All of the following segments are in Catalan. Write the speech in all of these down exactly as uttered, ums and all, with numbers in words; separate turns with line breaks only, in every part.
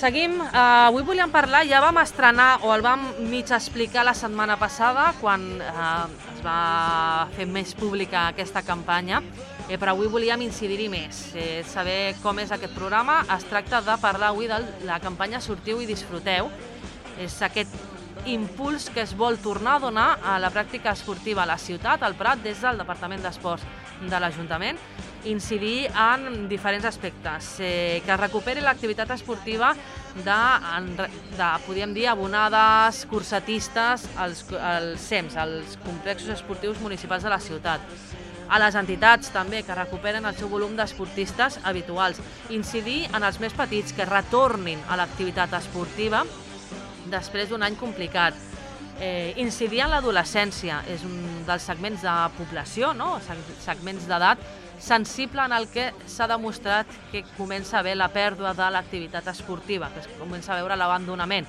seguim. Uh, avui volíem parlar, ja vam estrenar o el vam mig explicar la setmana passada quan uh, es va fer més pública aquesta campanya, eh, però avui volíem incidir-hi més, eh, saber com és aquest programa. Es tracta de parlar avui de la campanya Sortiu i Disfruteu. És aquest impuls que es vol tornar a donar a la pràctica esportiva a la ciutat, al Prat, des del Departament d'Esports de l'Ajuntament, incidir en diferents aspectes, eh, que es recuperi l'activitat esportiva de, de, podríem dir, abonades, cursatistes, als, als C E Ms, als complexos esportius municipals de la ciutat, a les entitats també, que recuperen el seu volum d'esportistes habituals, incidir en els més petits, que retornin a l'activitat esportiva després d'un any complicat, eh, incidir en l'adolescència, és un dels segments de població, no? segments d'edat, sensible en el que s'ha demostrat que comença a haver la pèrdua de l'activitat esportiva, que es comença a veure l'abandonament.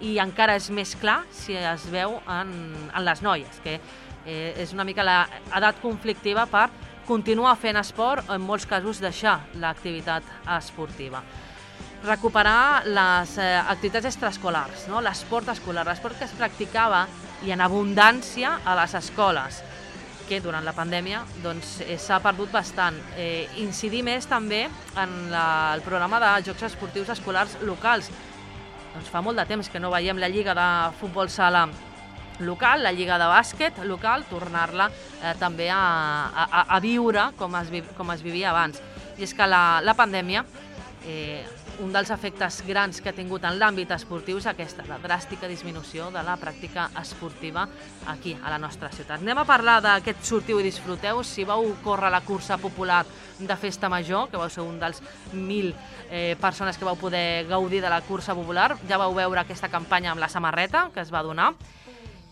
I encara és més clar si es veu en, en les noies, que eh, és una mica l'edat conflictiva per continuar fent esport o en molts casos deixar l'activitat esportiva. Recuperar les eh, activitats extraescolars, no? L'esport escolar, l'esport que es practicava i en abundància a les escoles, que durant la pandèmia doncs, eh, s'ha perdut bastant. Eh, incidir més també en la, el programa de jocs esportius escolars locals. Doncs fa molt de temps que no veiem la lliga de futbol sala local, la lliga de bàsquet local, tornar-la eh, també a, a, a viure com es, vi, com es vivia abans. I és que la, la pandèmia, eh, un dels efectes grans que ha tingut en l'àmbit esportiu és aquesta, la dràstica disminució de la pràctica esportiva aquí, a la nostra ciutat. Anem a parlar d'aquest Sortiu i Disfruteu. Si vau córrer la cursa popular de Festa Major, que vau ser un dels mil eh, persones que vau poder gaudir de la cursa popular, ja vau veure aquesta campanya amb la samarreta que es va donar,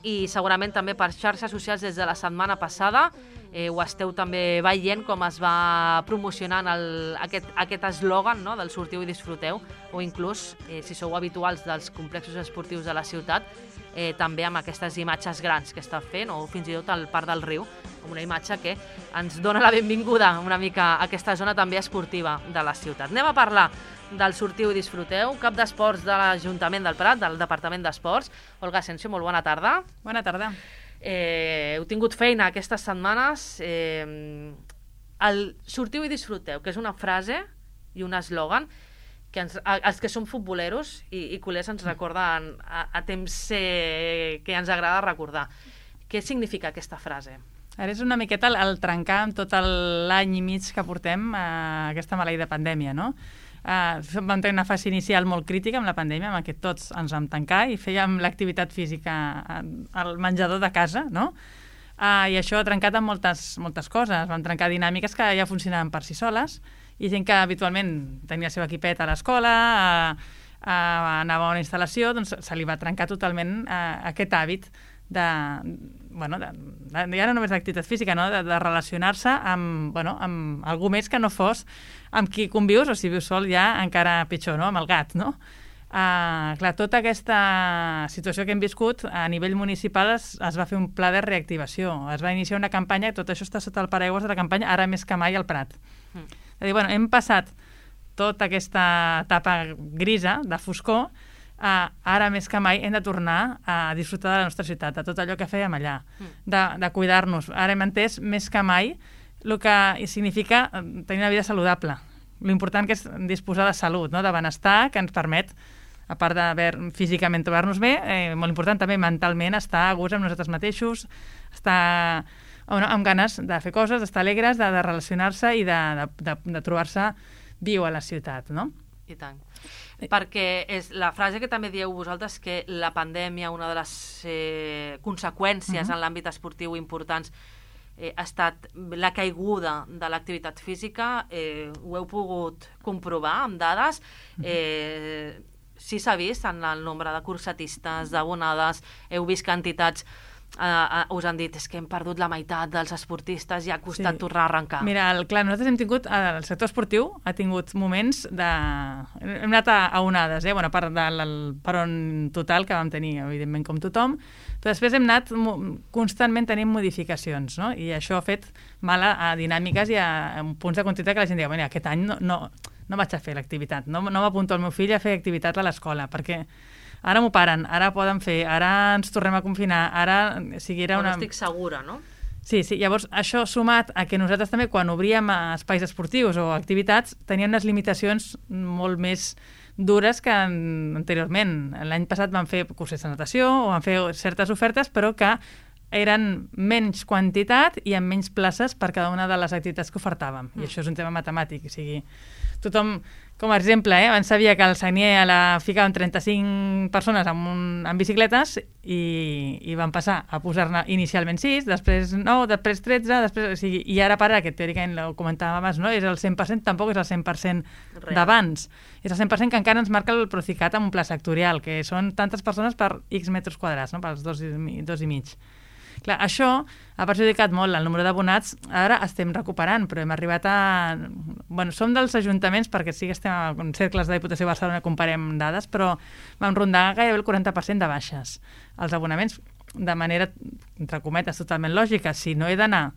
i segurament també per xarxes socials des de la setmana passada eh, ho esteu també veient com es va promocionant el, aquest, aquest eslògan, no?, del Sortiu i Disfruteu, o inclús, eh, si sou habituals dels complexos esportius de la ciutat, eh, també amb aquestes imatges grans que està fent, o fins i tot al Parc del Riu, amb una imatge que ens dona la benvinguda una mica a aquesta zona també esportiva de la ciutat. Anem a parlar del Sortiu i Disfruteu, cap d'esports de l'Ajuntament del Prat, del Departament d'Esports. Olga Asensio, molt bona tarda.
Bona tarda.
Eh, heu tingut feina aquestes setmanes. Eh, el Sortiu i Disfruteu, que és una frase i un eslògan que ens, a, els que som futboleros i, i culers ens recorden a, a temps eh, que ens agrada recordar. Què significa aquesta frase?
Ara és una miqueta el, el trencar amb tot l'any i mig que portem a aquesta maleïda pandèmia, no? Uh, vam tenir una fase inicial molt crítica amb la pandèmia, en què tots ens vam tancar i fèiem l'activitat física al menjador de casa, no? Uh, I això ha trencat amb moltes, moltes coses. Vam trencar dinàmiques que ja funcionaven per si soles, i gent que habitualment tenia el seu equipet a l'escola, uh, uh, anava a una instal·lació, doncs se li va trencar totalment uh, aquest hàbit de, bueno, de, de, ja no només d'activitat física, no? de, de relacionar-se amb, bueno, amb algú més que no fos amb qui convius, o si vius sol ja encara pitjor, no? Amb el gat, no? Uh, clar, tota aquesta situació que hem viscut a nivell municipal es, es va fer un pla de reactivació, es va iniciar una campanya, tot això està sota el paraigües de la campanya Ara més que mai al Prat. Mm. És a dir, bueno, hem passat tota aquesta etapa grisa de foscor. Uh, ara més que mai hem de tornar a disfrutar de la nostra ciutat, de tot allò que fèiem allà, mm. de, de cuidar-nos. Ara hem entès més que mai el que significa tenir una vida saludable, l'important que és disposar de salut, no? De benestar, que ens permet, a part de físicament trobar-nos bé, eh, molt important també mentalment estar a gust amb nosaltres mateixos, estar bueno, amb ganes de fer coses, d'estar alegres, de, de relacionar-se i de, de, de, de trobar-se viu a la ciutat, no?
I tant. Perquè és la frase que també dieu vosaltres, que la pandèmia, una de les eh, conseqüències uh-huh. en l'àmbit esportiu importants eh, ha estat la caiguda de l'activitat física. Eh, ho heu pogut comprovar amb dades. Eh, sí s'ha vist en el nombre de cursatistes, d'abonades. Heu vist que entitats Uh, uh, us han dit és que hem perdut la meitat dels esportistes i ha costat sí. tornar a arrencar.
Mira, el, clar, nosaltres hem tingut, el sector esportiu ha tingut moments de... Hem anat a, a onades, eh? Bueno, a part del peron total que vam tenir, evidentment, com tothom, però després hem anat constantment tenint modificacions, no? I això ha fet mal a, a dinàmiques i a, a punts de continuïtat que la gent diu, bueno, aquest any no, no, no vaig a fer l'activitat, no, no m'apunto el meu fill a fer activitat a l'escola, perquè ara m'ho paren, ara poden fer, ara ens tornem a confinar, ara... O sigui, era una...
No estic segura, no?
Sí, sí, llavors això sumat a que nosaltres també quan obríem espais esportius o activitats teníem unes limitacions molt més dures que anteriorment. L'any passat vam fer cursos de natació o vam fer certes ofertes, però que eren menys quantitat i amb menys places per cada una de les activitats que ofertàvem. I això és un tema matemàtic. O sigui, tothom, com a exemple, eh, abans sabia que al Sagnier la ficaven trenta-cinc persones amb, un, amb bicicletes i, i van passar a posar-ne inicialment sis, després nou, després tretze, després, o sigui, i ara per ara, que teòricament ho comentàvem abans, no? És el cent per cent, tampoc és el cent per cent d'abans. És el cent per cent que encara ens marca el Procicat amb un pla sectorial, que són tantes persones per X metres quadrats, no? Pels dos i, dos i mig. Clar, això ha perjudicat molt el número d'abonats. Ara estem recuperant, però hem arribat a... Bueno, som dels ajuntaments, perquè sí que estem en cercles de Diputació de Barcelona, comparem dades, però vam rondar gairebé el quaranta per cent de baixes. Els abonaments, de manera, entre cometes, totalment lògica, si no he d'anar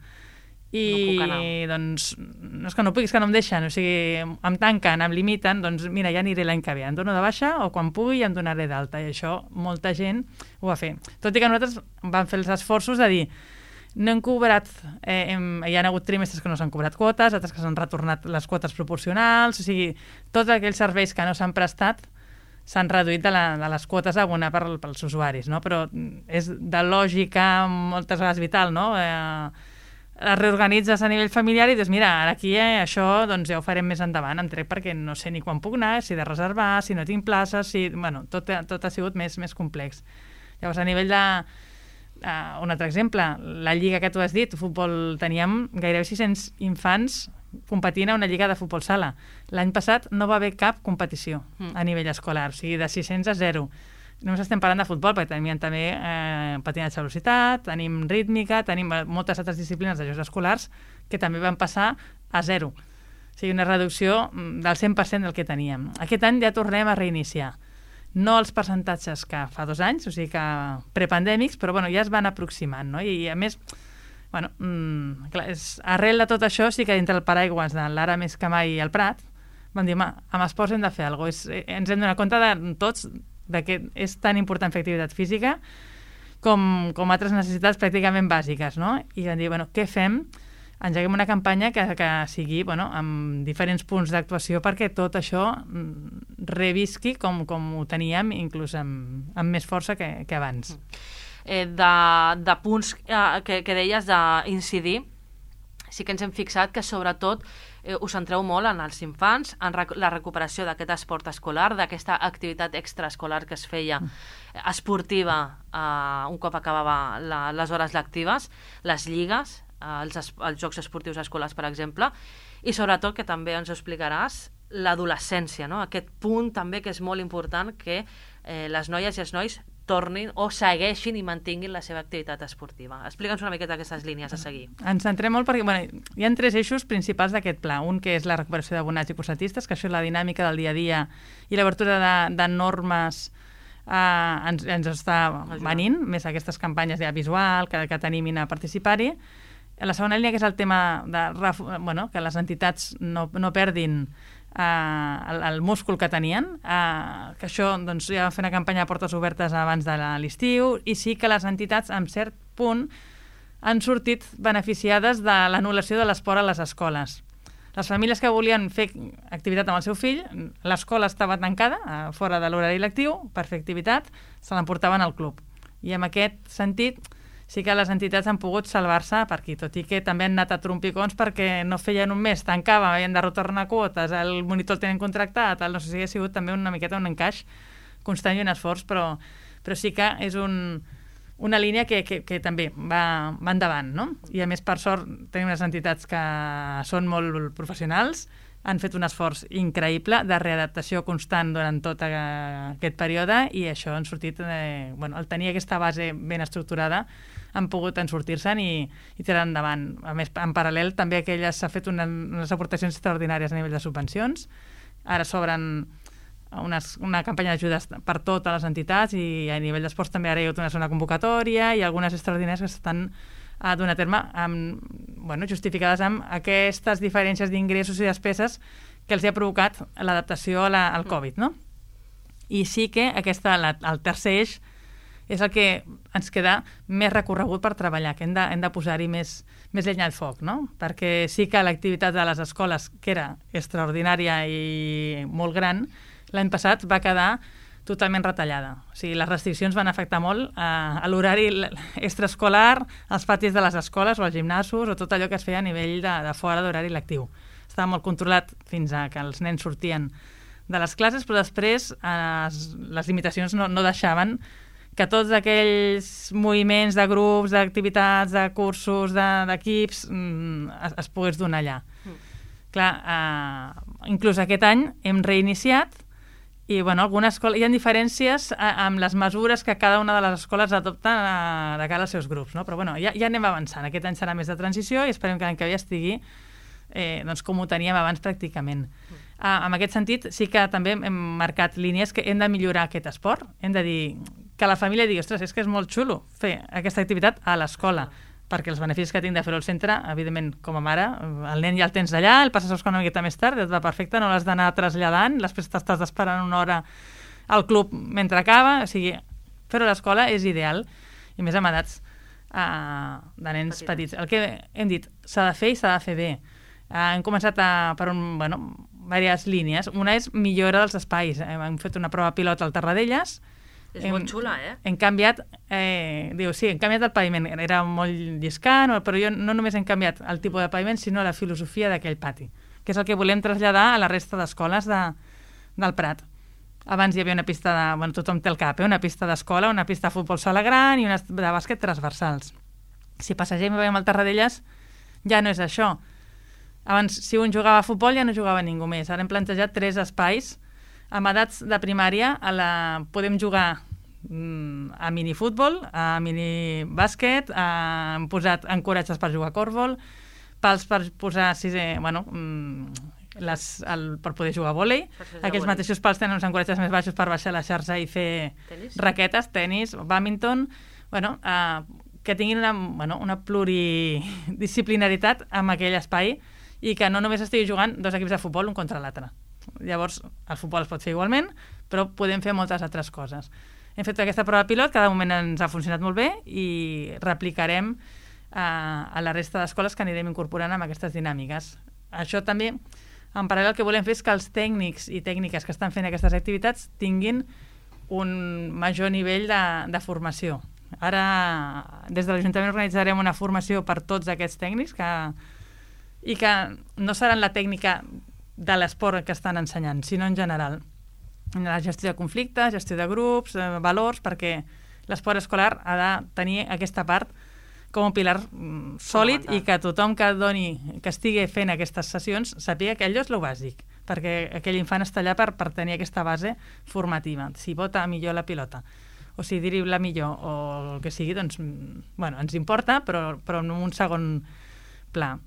i no puc anar. Doncs no és que no puc, és que no em deixen, o sigui, em tanquen, em limiten, doncs mira, ja aniré l'any que ve, em dono de baixa o quan pugui em donaré d'alta, i això molta gent ho va fer. Tot i que nosaltres vam fer els esforços de dir no hem cobrat, eh, hem, hi ha hagut trimestres que no s'han cobrat quotes, altres que s'han retornat les quotes proporcionals, o sigui, tots aquells serveis que no s'han prestat s'han reduït de, la, de les quotes a abonar per, pels usuaris, no? Però és de lògica moltes vegades vital, no? Eh, es reorganitzes a nivell familiar i dius, mira, ara aquí eh, això doncs ja ho farem més endavant, em trec perquè no sé ni quan puc anar, si he de reservar, si no tinc places, si... Bueno, tot, tot ha sigut més, més complex. Llavors, a nivell de... Uh, un altre exemple, la lliga que tu has dit, futbol, teníem gairebé sis-cents infants competint a una lliga de futbol sala. L'any passat no va haver cap competició mm. a nivell escolar, o sigui, de sis-cents a zero. Només estem parlant de futbol, perquè teníem també eh, patinatge de velocitat, tenim rítmica, tenim moltes altres disciplines de jocs escolars que també van passar a zero. O sigui, una reducció del cent per cent del que teníem. Aquest any ja tornem a reiniciar. No els percentatges que fa dos anys, o sigui que prepandèmics, però bueno, ja es van aproximant, no? I, i a més, bueno, mmm, clar, és, arrel de tot això sí que dintre el paraigües de l'Ara més que mai al Prat vam dir, home, amb esports hem de fer alguna cosa. És, ens hem donat compte de tots de que és tan important fer activitat física com, com altres necessitats pràcticament bàsiques, no? I vam dir, bueno, què fem? Engeguem una campanya que, que sigui, bueno, amb diferents punts d'actuació perquè tot això revisqui com, com ho teníem, inclús amb, amb més força que, que abans.
Eh, de, de punts eh, que, que deies d'incidir, sí que ens hem fixat que sobretot eh, us centreu molt en els infants, en rec la recuperació d'aquest esport escolar, d'aquesta activitat extraescolar que es feia esportiva eh, un cop acabava la, les hores lectives, les lligues, eh, els, els jocs esportius escolars, per exemple, i sobretot, que també ens ho explicaràs, l'adolescència, no? Aquest punt també que és molt important, que eh, les noies i els nois tornin o segueixin i mantinguin la seva activitat esportiva. Explica'ns una miqueta aquestes línies a seguir.
Ens centrem molt perquè bueno, hi ha tres eixos principals d'aquest pla. Un que és la recuperació d'abonats i cursatistes, que això és la dinàmica del dia a dia i l'obertura de, de normes eh, ens, ens està venint, més aquestes campanyes ja visual que, que t'animin a participar-hi. La segona línia, que és el tema de bueno, que les entitats no, no perdin Uh, el, el múscul que tenien, uh, que això doncs, ja vam fer una campanya de portes obertes abans de l'estiu, i sí que les entitats en cert punt han sortit beneficiades de l'anul·lació de l'esport a les escoles. Les famílies que volien fer activitat amb el seu fill, l'escola estava tancada, uh, fora de l'horari lectiu, per fer activitat, se l'emportaven al club. I en aquest sentit sí que les entitats han pogut salvar-se per aquí, tot i que també han anat a trompicons perquè no feien un mes, tancàvem, havien de retornar quotes, el monitor el tenen contractat, el, no sé si ha sigut també una miqueta un encaix constant i un esforç, però, però sí que és un, una línia que, que, que també va, va endavant, no? I a més, per sort, tenim unes entitats que són molt professionals, han fet un esforç increïble de readaptació constant durant tot aquest període i això han sortit, eh, bueno, el tenir aquesta base ben estructurada han pogut en sortir-se'n i, i tirar endavant. A més, en paral·lel també aquelles s'ha fet una, unes aportacions extraordinàries a nivell de subvencions. Ara s'obren unes, una campanya d'ajudes per totes les entitats i a nivell d'esports també ara hi ha hagut una zona convocatòria i algunes extraordinàries que s'estan a donar a terme amb, bueno, justificades amb aquestes diferències d'ingressos i despeses que els ha provocat l'adaptació a la, al Covid, no? I sí que aquesta, la, el tercer eix és el que ens queda més recorregut per treballar, que hem de, hem de posar-hi més, més llenya al foc, no? Perquè sí que l'activitat de les escoles, que era extraordinària i molt gran, l'any passat va quedar totalment retallada. O sigui, les restriccions van afectar molt a, a l'horari extraescolar, als patis de les escoles o als gimnasos o tot allò que es feia a nivell de, de fora d'horari lectiu. Estava molt controlat fins a que els nens sortien de les classes, però després eh, les limitacions no, no deixaven que tots aquells moviments de grups, d'activitats, de cursos, d'equips, de, es, es pogués donar allà. Mm. Clar, eh, inclús aquest any hem reiniciat i, bueno, algunes escoles, hi ha diferències eh, amb les mesures que cada una de les escoles adopten eh, de cara als seus grups, no? Però, bueno, ja, ja anem avançant. Aquest any serà més de transició i esperem que l'any que ve estigui eh, doncs, com ho teníem abans pràcticament. Mm. Eh, en aquest sentit, sí que també hem marcat línies que hem de millorar aquest esport. Hem de dir que la família digui, ostres, és que és molt xulo fer aquesta activitat a l'escola, perquè els beneficis que tinc de fer-ho al centre, evidentment, com a mare, el nen ja el tens allà, el passes una miqueta més tard, et va perfecte, no l'has d'anar traslladant, després t'estàs esperant una hora al club mentre acaba, o sigui, fer-ho a l'escola és ideal, i més amb edats uh, de nens Petit. petits. El que hem dit, s'ha de fer i s'ha de fer bé. Uh, hem començat a, per un, bueno, diverses línies. Una és millora dels espais. Hem fet una prova pilot al Terradellas.
És hem, molt xula, eh?
Hem canviat, eh, diu, sí, hem canviat el paviment, era molt lliscant, però jo no només hem canviat el tipus de paviment, sinó la filosofia d'aquell pati, que és el que volem traslladar a la resta d'escoles de, del Prat. Abans hi havia una pista de... Bueno, tothom té el cap, eh? Una pista d'escola, una pista de futbol sala gran i una de bàsquet transversals. Si passegem i veiem el Terradellas, ja no és això. Abans, si un jugava a futbol, ja no jugava ningú més. Ara hem plantejat tres espais. Amb edats de primària a la... podem jugar mm, a minifutbol, a minibàsquet, a... hem posat encoratges per jugar a còrbol, pals per posar sisè, bueno, mm, les, el, per poder jugar a vòlei. Aquells vòlei. Mateixos pals tenen uns encoratges més baixos per baixar la xarxa i fer tenis? raquetes, tenis, bàdminton, bueno, eh, que tinguin una, bueno, una pluridisciplinaritat amb aquell espai i que no només estigui jugant dos equips de futbol un contra l'altre. Llavors, el futbol es pot fer igualment, però podem fer moltes altres coses. Hem fet aquesta prova pilot, cada moment ens ha funcionat molt bé i replicarem eh, a la resta d'escoles que anirem incorporant amb aquestes dinàmiques. Això també, en paral·lel, el que volem fer és que els tècnics i tècniques que estan fent aquestes activitats tinguin un major nivell de, de formació. Ara, des de l'Ajuntament organitzarem una formació per tots aquests tècnics que, i que no seran la tècnica de l'esport que estan ensenyant, sinó en general. La gestió de conflictes, gestió de grups, eh, valors, perquè l'esport escolar ha de tenir aquesta part com un pilar mm, sòlid i que tothom que doni, que estigui fent aquestes sessions sàpiga que allò és lo bàsic, perquè aquell infant està allà per, per tenir aquesta base formativa. Si vota millor la pilota, o si dribla millor, o el que sigui, doncs, bueno, ens importa, però, però en un segon pla.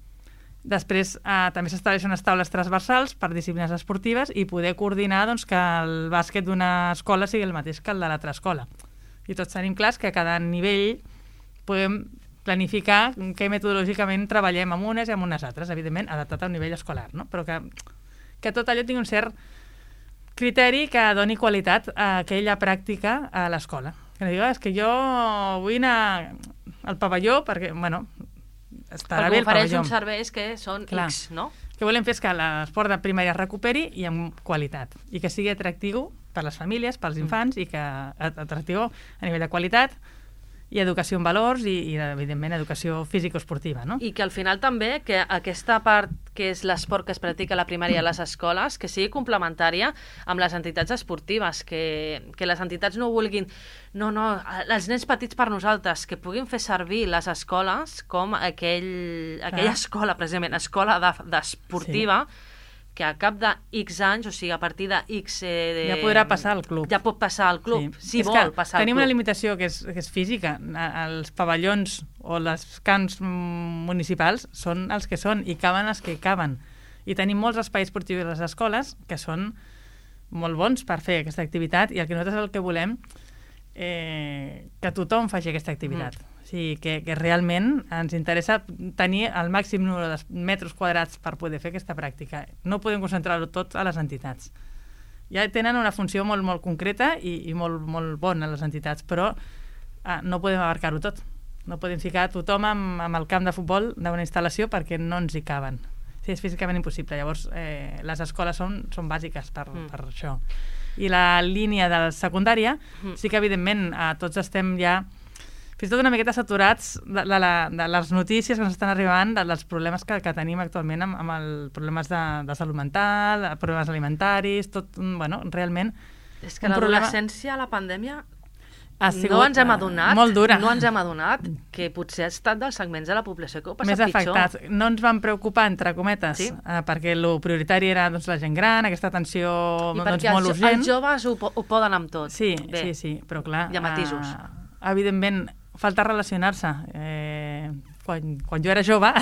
Després eh, també s'estableixen unes taules transversals per disciplines esportives i poder coordinar doncs, que el bàsquet d'una escola sigui el mateix que el de l'altra escola. I tots tenim clars que a cada nivell podem planificar què metodològicament treballem amb unes i amb unes altres, evidentment adaptat al nivell escolar, no? Però que, que tot allò tingui un cert criteri que doni qualitat a aquella pràctica a l'escola. Que no digui, és que jo vull anar al pavelló perquè, bueno, estarà bé el pavelló.
Ofereix uns serveis que són Clar. X, no?
El que volem fer és que l'esport de primària es recuperi i amb qualitat, i que sigui atractiu per les famílies, pels infants, mm. i que atractiu a nivell de qualitat i educació en valors i, i evidentment, educació físico-esportiva, no?
I que al final també que aquesta part que és l'esport que es practica a la primària a les escoles, que sigui complementària amb les entitats esportives, que, que les entitats no vulguin... No, no, els nens petits per nosaltres, que puguin fer servir les escoles com aquell, aquella ah. escola, precisament, escola d'esportiva, de, sí. que a cap de X anys, o sigui, a partir de X... Eh, de,
ja podrà passar al club.
Ja pot passar al club, sí. si
és
vol passar al club.
Tenim una limitació que és, que és física. Els pavellons o les camps municipals són els que són i caben els que caben. I tenim molts espais esportius a les escoles que són molt bons per fer aquesta activitat i el que nosaltres el que volem eh, que tothom faci aquesta activitat. Mm. O sigui, que, que realment ens interessa tenir el màxim número de metres quadrats per poder fer aquesta pràctica. No podem concentrar-ho tot a les entitats. Ja tenen una funció molt, molt concreta i, i molt, molt bona les entitats, però eh, no podem abarcar-ho tot. No podem ficar tothom amb, amb el camp de futbol d'una instal·lació perquè no ens hi caben. Sí, és físicament impossible. Llavors, eh, les escoles són, són bàsiques per, mm. per això. I la línia de la secundària, mm. sí que, evidentment, eh, tots estem ja fins i tot una miqueta saturats de, de, la, de les notícies que ens estan arribant, de, dels problemes que, que tenim actualment amb, amb els problemes de, de salut mental, problemes alimentaris, tot, bueno, realment...
És que l'adolescència, problema... la pandèmia,
sigut,
no ens hem adonat,
molt dura.
no ens hem adonat que potser ha estat dels segments de la població que ho ha passat
més
pitjor.
Afectats. No ens van preocupar, entre cometes, sí? eh, perquè el prioritari era doncs, la gent gran, aquesta atenció
I
doncs,
perquè
molt
els,
urgent.
els joves ho, ho poden amb tot.
Sí,
Bé,
sí, sí, però clar...
hi ha matisos.
Eh, evidentment, falta relacionar-se. Eh, quan, quan jo era jove,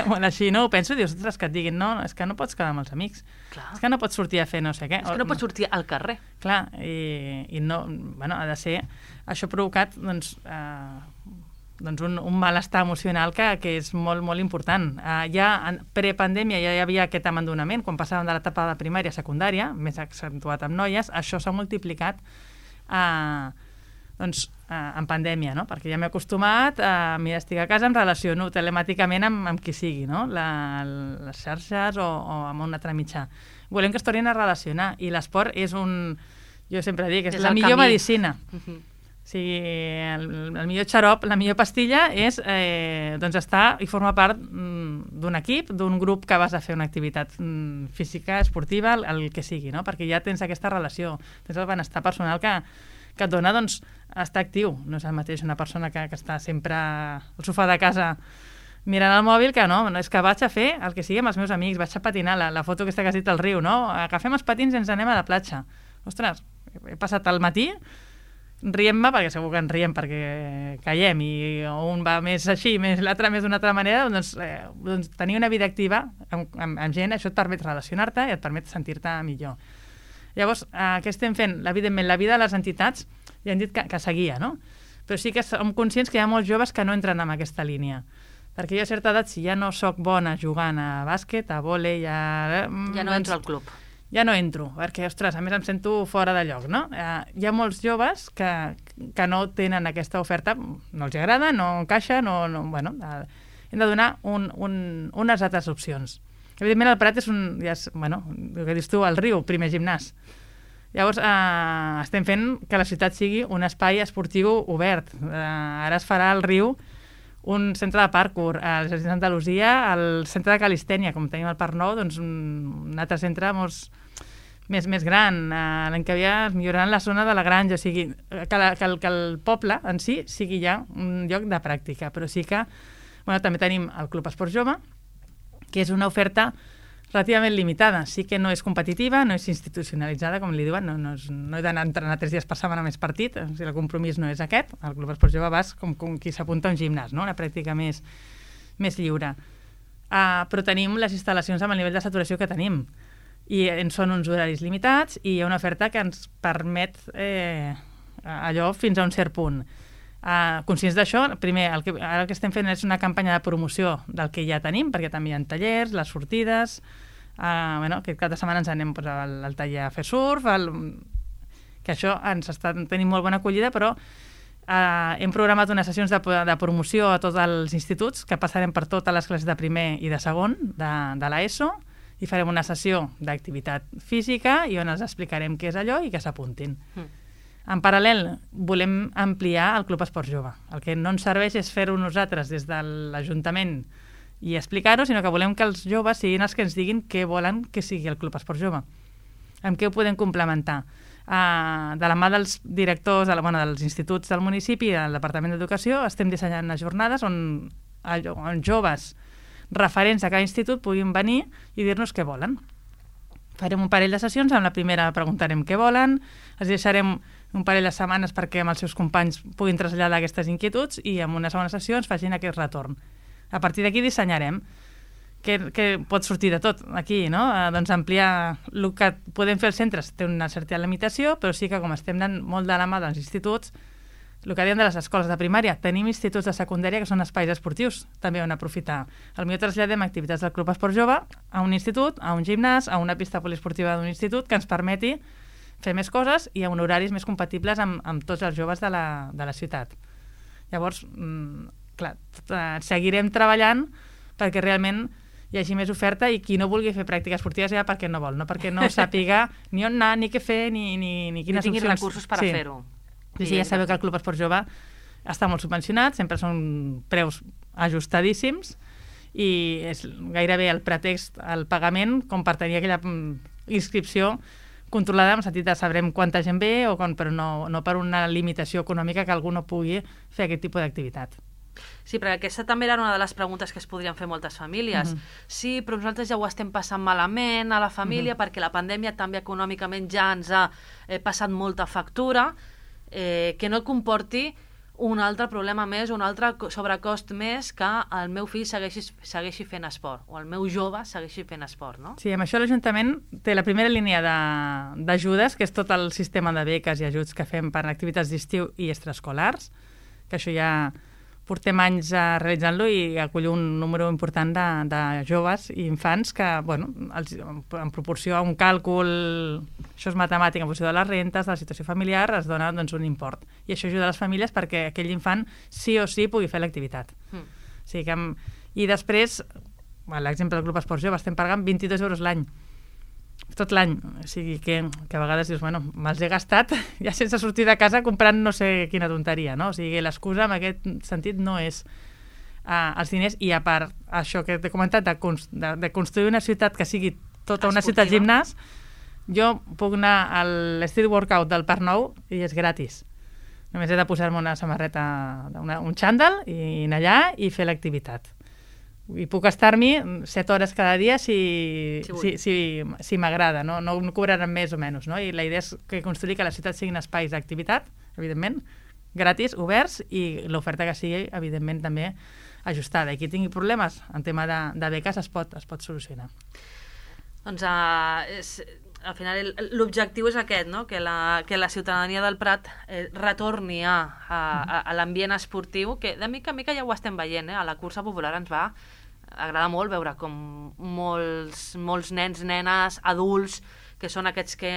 bueno, així no ho penso, dius, ostres, que et diguin, no, és que no pots quedar amb els amics,
Clar.
és que no pots sortir a fer no sé què.
És que no pots sortir al carrer.
Clar, i, i no, bueno, ha de ser... Això ha provocat, doncs, eh, doncs un, un malestar emocional que, que és molt, molt important. Eh, ja en prepandèmia ja hi havia aquest abandonament, quan passàvem de l'etapa de primària a secundària, més accentuat amb noies, això s'ha multiplicat eh, doncs, eh, en pandèmia, no? Perquè ja m'he acostumat a, mira, estic a casa, em relaciono telemàticament amb, amb qui sigui, no? La, les xarxes o, o amb un altre mitjà. Volem que es tornin a relacionar, i l'esport és un... Jo sempre dic, és, és la millor camí. medicina. Uh-huh. O sigui, el, el millor xarop, la millor pastilla és eh, doncs estar i formar part mm, d'un equip, d'un grup que vas a fer una activitat mm, física, esportiva, el, el que sigui, no? Perquè ja tens aquesta relació, tens el benestar personal que, que et dona, doncs, estar actiu. No és el mateix una persona que, que està sempre al sofà de casa mirant el mòbil, que no, no, és que vaig a fer el que sigui amb els meus amics, vaig a patinar, la, la foto aquesta que has dit al riu, no? Agafem els patins i ens anem a la platja. Ostres, he passat el matí rient-me, perquè segur que ens riem perquè caiem i un va més així, més l'altre més d'una altra manera, doncs, eh, doncs tenir una vida activa amb, amb, amb gent, això et permet relacionar-te i et permet sentir-te millor. Llavors, eh, què estem fent? Evidentment, la vida de les entitats ja hem dit que, que seguia, no? Però sí que som conscients que hi ha molts joves que no entren en aquesta línia. Perquè jo a certa edat, si ja no sóc bona jugant a bàsquet, a vòlei, a...
Ja no
doncs,
entro al club.
Ja no entro, perquè, ostres, a més em sento fora de lloc, no? Eh, hi ha molts joves que, que no tenen aquesta oferta, no els agrada, no encaixa, no, no, bueno, eh, hem de donar un, un, unes altres opcions. Evidentment el Prat és un, ja és, bueno, el que dius tu, el riu, primer gimnàs. Llavors, eh, estem fent que la ciutat sigui un espai esportiu obert. Eh, ara es farà al riu un centre de parkour, a l'Exèrcit d'Andalusia, al centre de calistènia, com tenim al Parc Nou, doncs un, un altre centre molts, més, més gran. Uh, l'any que havia es milloraran la zona de la granja, o sigui, que, la, que, el, que el poble en si sigui ja un lloc de pràctica, però sí que bueno, també tenim el Club Esport Jove, que és una oferta relativament limitada. Sí que no és competitiva, no és institucionalitzada, com li diuen, no, no, és, no he d'anar a entrenar tres dies per setmana més partit, o sigui, el compromís no és aquest. El Club Esport Jove vas com, com qui s'apunta a un gimnàs, no? Una pràctica més, més lliure. Uh, però tenim les instal·lacions amb el nivell de saturació que tenim, i en són uns horaris limitats, i hi ha una oferta que ens permet eh, allò fins a un cert punt. Uh, conscients d'això, primer, el que, ara el que estem fent és una campanya de promoció del que ja tenim, perquè també hi ha tallers, les sortides, uh, bueno, que cada setmana ens anem pues, al, al taller a fer surf, el, que això ens està tenint molt bona acollida, però uh, hem programat unes sessions de, de promoció a tots els instituts, que passarem per totes les classes de primer i de segon de, de l'ESO, i farem una sessió d'activitat física i on els explicarem què és allò i que s'apuntin. Mm. En paral·lel, volem ampliar el Club Esport Jove. El que no ens serveix és fer-ho nosaltres des de l'Ajuntament i explicar-ho, sinó que volem que els joves siguin els que ens diguin què volen que sigui el Club Esport Jove. Amb què ho podem complementar? Uh, de la mà dels directors, de la, bueno, dels instituts del municipi i del Departament d'Educació, estem dissenyant unes jornades on, on joves referents a cada institut puguin venir i dir-nos què volen. Farem un parell de sessions, amb la primera preguntarem què volen, els deixarem un parell de setmanes perquè amb els seus companys puguin traslladar aquestes inquietuds i en una segona sessió ens facin aquest retorn. A partir d'aquí dissenyarem que, que pot sortir de tot aquí, no? Eh, doncs ampliar el que podem fer els centres té una certa limitació, però sí que com estem anant molt de la mà dels instituts, el que dèiem de les escoles de primària, tenim instituts de secundària que són espais esportius, també on aprofitar. Potser traslladem activitats del Club Esport Jove a un institut, a un gimnàs, a una pista poliesportiva d'un institut que ens permeti fer més coses i amb horaris més compatibles amb, amb tots els joves de la, de la ciutat. Llavors, mmm, clar, seguirem treballant perquè realment hi hagi més oferta i qui no vulgui fer pràctiques esportives ja perquè no vol, no perquè no sàpiga ni on anar, ni què fer, ni, ni, ni quines
opcions. Ni tinguin
opcions.
recursos per
sí.
a fer-ho.
Sí, sí, ja sabeu que el Club Esport Jove està molt subvencionat, sempre són preus ajustadíssims i és gairebé el pretext al pagament com per tenir aquella inscripció controlada, en el sentit de sabrem quanta gent ve, o quan, però no, no per una limitació econòmica que algú no pugui fer aquest tipus d'activitat.
Sí, perquè aquesta també era una de les preguntes que es podrien fer moltes famílies. Uh-huh. Sí, però nosaltres ja ho estem passant malament a la família, uh-huh. perquè la pandèmia també econòmicament ja ens ha eh, passat molta factura, eh, que no comporti un altre problema més, un altre sobrecost més que el meu fill segueixi, segueixi fent esport, o el meu jove segueixi fent esport, no?
Sí, amb això l'Ajuntament té la primera línia d'ajudes, que és tot el sistema de beques i ajuts que fem per activitats d'estiu i extraescolars, que això ja portem anys uh, realitzant-lo i acull un número important de, de joves i infants que, bueno, els, en proporció a un càlcul, això és matemàtic, en funció de les rentes, de la situació familiar, es dona doncs, un import. I això ajuda les famílies perquè aquell infant sí o sí pugui fer l'activitat. Mm. O sigui que, i després, bueno, l'exemple del Club Esport Jove, estem pagant vint-i-dos euros l'any. Tot l'any, o sigui que, que a vegades dius, bueno, me'ls he gastat ja sense sortir de casa comprant no sé quina tonteria, no? O sigui, l'excusa en aquest sentit no és uh, els diners, i a part això que t'he comentat de, de, de construir una ciutat que sigui tota una ciutat gimnàs, jo puc anar a l'Street Workout del Parc Nou i és gratis. Només he de posar-me una samarreta, una, un xandall i anar allà i fer l'activitat. I puc estar-m'hi set hores cada dia si, si, si, si, si m'agrada, no, no cobraran més o menys, no? I la idea és que construir que la ciutat siguin espais d'activitat, evidentment, gratis, oberts, i l'oferta que sigui, evidentment, també ajustada. I qui tingui problemes en tema de, de beques es pot, es pot solucionar.
Doncs uh, és, al final l'objectiu és aquest, no? Que, la, que la ciutadania del Prat eh, retorni a, a, a, a l'ambient esportiu, que de mica en mica ja ho estem veient, eh? A la cursa popular ens va agrada molt veure com molts, molts nens, nenes, adults, que són aquests que,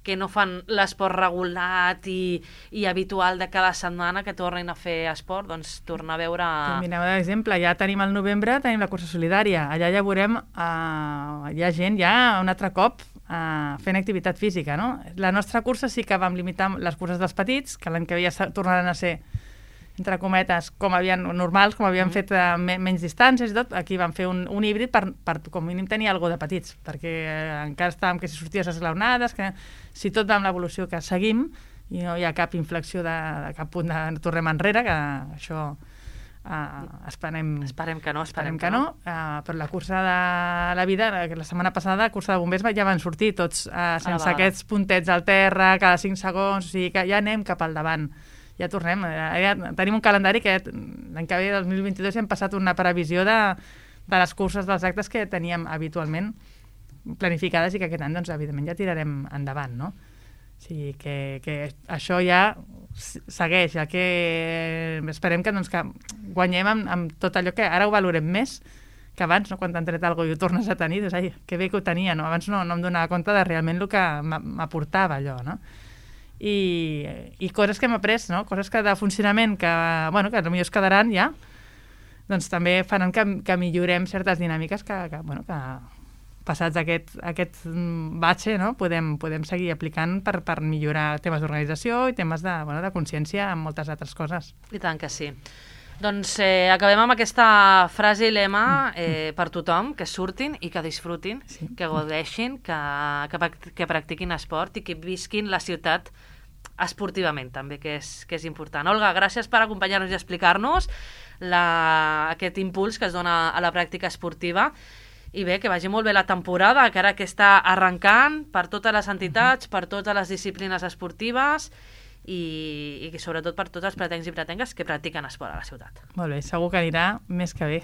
que no fan l'esport regulat i, i habitual de cada setmana, que tornin a fer esport, doncs tornar a veure...
Mireu, per exemple, ja tenim al novembre, tenim la cursa solidària. Allà ja veurem, uh, hi ha gent ja un altre cop uh, fent activitat física, no? La nostra cursa sí que vam limitar les curses dels petits, que l'any que ve ja tornaran a ser, entre cometes, com havien normals, com havien mm. fet uh, me menys distàncies i tot. Aquí vam fer un, un híbrid per, per com mínim tenir alguna de petits, perquè eh, encara estàvem que si sorties esglaonades, que si tot amb l'evolució que seguim i no hi ha cap inflexió de, de cap punt de tornem enrere, que això uh, esperem,
esperem que no, esperem,
esperem que, que no, no. Uh, però la cursa de la vida, la setmana passada, la cursa de bombers ja van sortir tots uh, sense aquests puntets al terra cada cinc segons, o sigui que ja anem cap al davant. Ja tornem, ja tenim un calendari que l'any que ve, del dos mil vint-i-dos, hem passat una previsió de, de les curses dels actes que teníem habitualment planificades i que aquest any, doncs, evidentment, ja tirarem endavant, no? O sigui, que, que això ja segueix, ja que esperem que, doncs, que guanyem amb, amb tot allò que ara ho valorem més que abans, no? Quan t'han tret alguna cosa i ho tornes a tenir, doncs, ai, que bé que ho tenia, no? Abans no, no em donava compte de realment el que m'aportava allò, no? I, i coses que hem après, no? Coses que de funcionament que, bueno, que potser es quedaran ja, doncs també faran que, que millorem certes dinàmiques que, que, bueno, que passats aquest, aquest batxe, no? podem, podem seguir aplicant per, per millorar temes d'organització i temes de, bueno, de consciència en moltes altres coses.
I tant que sí. Doncs eh, acabem amb aquesta frase i lema eh, per tothom, que surtin i que disfrutin, sí. que gaudeixin, que, que, que practiquin esport i que visquin la ciutat esportivament, també, que és, que és important. Olga, gràcies per acompanyar-nos i explicar-nos la, aquest impuls que es dona a la pràctica esportiva. I bé, que vagi molt bé la temporada, que ara que està arrencant per totes les entitats, per totes les disciplines esportives i, i sobretot per tots els pretencs i pretengues que practiquen esport a la ciutat.
Molt bé, segur que anirà més que bé.